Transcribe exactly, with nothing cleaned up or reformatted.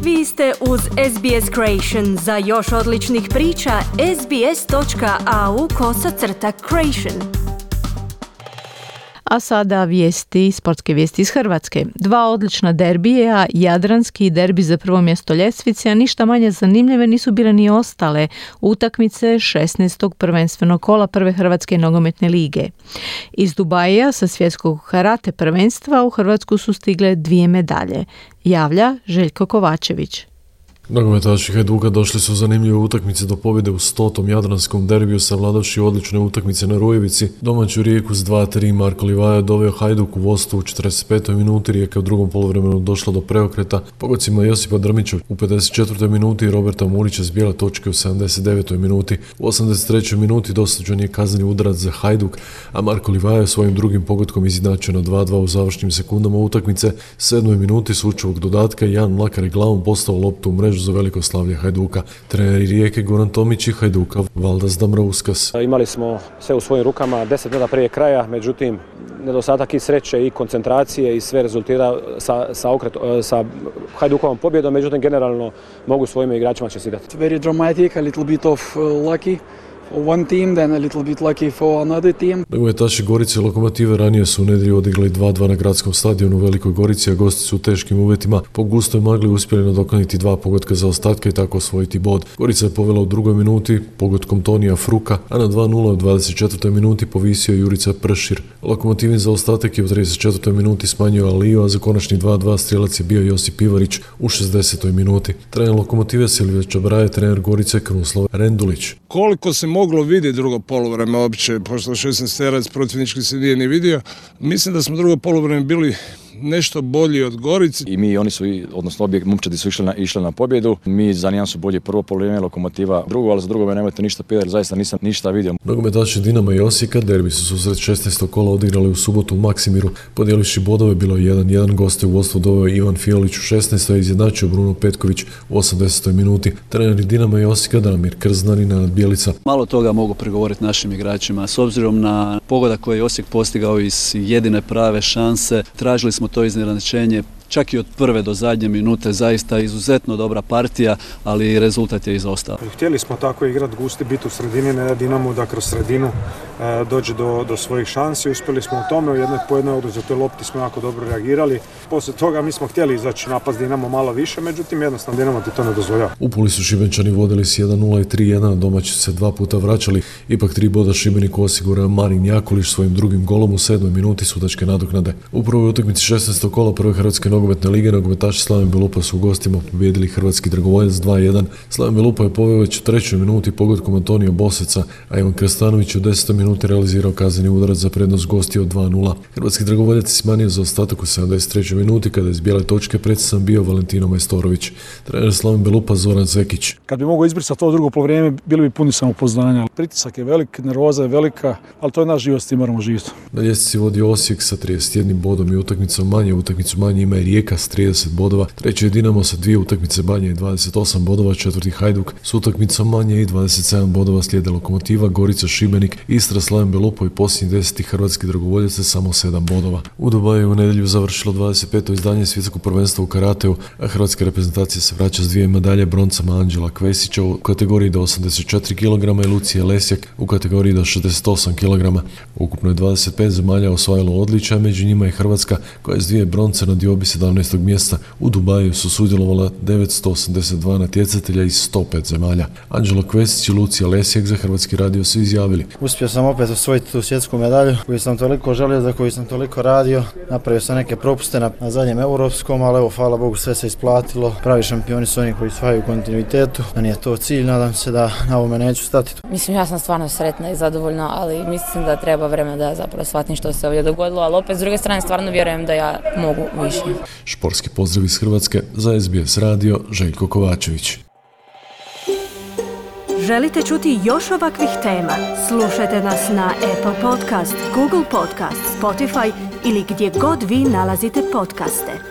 Vi ste uz S B S Creation. Za još odličnih priča, sbs.au kosacrta creation. A sada vijesti, sportske vijesti iz Hrvatske. Dva odlična derbija, jadranski derbi za prvo mjesto ljestvice, a ništa manje zanimljive nisu bile ni ostale utakmice šesnaestog prvenstvenog kola prve Hrvatske nogometne lige. Iz Dubaija sa svjetskog karate prvenstva u Hrvatsku su stigle dvije medalje. Javlja Željko Kovačević. Nogometaši Hajduka došli su zanimljive utakmice do pobjede u stotom jadranskom derbiju savladavši odlične utakmice na Rujevici. Domaću Rijeku s dva tri Marko Livaja doveo Hajduk u vodstvo u četrdeset petoj minuti. Rijeka u drugom poluvremenu došla do preokreta pogocima Josipa Drmića u pedeset četvrtoj minuti i Roberta Murića s bijele točke u sedamdeset devetoj minuti. U osamdeset trećoj minuti dosuđen je kazneni udarac za Hajduk, a Marko Livaja svojim drugim pogodkom izjednačio na dva dva u završnim sekundama utakmice. U sedmoj minuti slučajevog dodatka Jan Mlakar je glavom postao loptu u mrežu za veliko slavlje Hajduka. Treneri Rijeke Goran Tomić i Hajduka Valdas Dambrauskas. Imali smo sve u svojim rukama deset minuta prije kraja, međutim nedostatak i sreće i koncentracije i sve rezultira sa, sa, okret, sa Hajdukovom pobjedom, međutim generalno mogu svojim igračima čestitati. Very dramatic, a little bit of uh, lucky. One team, then a little bit lucky for another team. Nogometaši Gorice i Lokomotive ranije su u nedjelju odigrali dva dva na gradskom stadionu u Velikoj Gorici, a gosti su u teškim uvjetima po gustoj magli uspjeli nadoknaditi dva pogotka za ostatke i tako osvojiti bod. Gorica je povela u drugoj minuti pogodkom Tonija Fruka, a na dva nula u dvadeset četvrtoj minuti povisio Jurica Pršir. Lokomotivin za ostatak je u trideset četvrtoj minuti smanjio Aliju, a za konačni dva dva strijelac je bio Josip Ivarić u šezdesetoj minuti. Trener Lokomotive Silvija Čabraje, trener Gorice Krunoslav Rendulić. Koliko se moglo vidjeti drugo poluvreme uopće, pošto šesnaesterac protivnički se nije ni vidio. Mislim da smo drugo poluvreme bili nešto bolji od Gorice. I mi, oni su, odnosno obje momčadi su išli na, išli na pobjedu. Mi za nijan su bolje prvo poluvreme, Lokomotiva drugo, ali za drugo me nemojte ništa pitati, jer zaista nisam ništa vidio. Nogometaši Dinama i Osijeka derbi su susret šesnaestog kola odigrali u subotu u Maksimiru. Podijelivši bodove bilo je jedan jedan, goste u vodstvo doveo Ivan Fiolić u šesnaestoj i izjednačio Bruno Petković u osamdesetoj minuti. Treneri Dinama i Osijeka Damir Krznan i Nenad Bjelica. Malo toga mogu prigovoriti našim igračima. S obzirom na pogodak koji je Osijek postigao iz jedine prave šanse, tražili smo to iznenađenje. Čak i od prve do zadnje minute, zaista izuzetno dobra partija, ali rezultat je izostao. Htjeli smo tako igrati, gusti, biti u sredini, ne da Dinamo da kroz sredinu e, dođe do, do svojih šansi. Uspjeli smo u tome, u jednoj po jednoj oduzetoj lopti smo jako dobro reagirali. Poslije toga mi smo htjeli izaći napad Dinamo malo više, međutim jednostavno Dinamo ti to ne dozvoljava. U Puli su Šibenčani vodili s jedan nula i tri jedan, a domaći se dva puta vraćali. Ipak tri boda Šibeniku osigurao Marin Jakulić svojim drugim golom u sedmoj minuti sudačke nadoknade. U prvoj utakmici šesnaestog kola prve Hrvatske nogometne lige nogometaši Slaven Belupa su u gostima pobijedili Hrvatski Dragovoljac dva jedan. Slaven Belupa je poveo već u trećoj minuti pogodkom Antonija Boseca, a Ivan Krstanović u desetoj minuti realizirao kazneni udarac za prednost gostiju od dva nula. Hrvatski Dragovoljac je smanjio za ostatak u sedamdeset trećoj minuti kada je iz bijele točke predstavan bio Valentino Majstorović. Trener Slaven Belupa Zoran Zekić. Kad bi mogao izbrisati to drugo poluvreme, bili bi puni samopouzdanja. Pritisak je velik, nervoza je velika, ali to je naš život, s tim moramo živjeti. Na ljestvici vodi Osijek sa trideset jednim bodom i utakmicom manje. Utakmicu manje ima i Rijeka s trideset bodova, treći je Dinamo sa dvije utakmice manje i dvadeset osam bodova, četvrti Hajduk s utakmicom manje i dvadeset sedam bodova, slijede Lokomotiva, Gorica, Šibenik, Istra, Slaven Belupo i posljednji deseti Hrvatski Dragovoljac sa samo sedam bodova. U Dubaju u nedjelju završilo dvadeset peto izdanje svjetskog prvenstva u karateu, a hrvatska reprezentacija se vraća s dvije medalje, broncama Anđela Kvesića u kategoriji do osamdeset četiri kilograma i Lucije Lesjak u kategoriji do šezdeset osam kilograma. Ukupno je dvadeset pet zemalja osvojilo odličja, među njima i Hrvatska koja je s dvije bronce na diobi sedamnaestog mjesta. U Dubaju su sudjelovala devetsto osamdeset dva natjecatelja iz sto pet zemalja. Anđelo Kvesić i Lucija Lesjak za Hrvatski radio su izjavili: Uspio sam opet osvojiti tu svjetsku medalju koju sam toliko želio, za koju sam toliko radio. Napravio sam neke propuste na, na zadnjem europskom, ali evo, hvala Bogu, sve se isplatilo. Pravi šampioni su oni koji osvajaju kontinuitetu. Da nije to cilj, nadam se da na ovome neću stati. Mislim, ja sam stvarno sretna i zadovoljna, ali mislim da treba vremena da zapravo shvatim što se ovdje dogodilo, ali opet s druge strane stvarno vjerujem da ja mogu više. Športski pozdrav iz Hrvatske za S B S radio, Željko Kovačević. Želite čuti još ovakvih tema? Slušajte nas na Apple Podcast, Google Podcast, Spotify ili gdje god vi nalazite podcaste.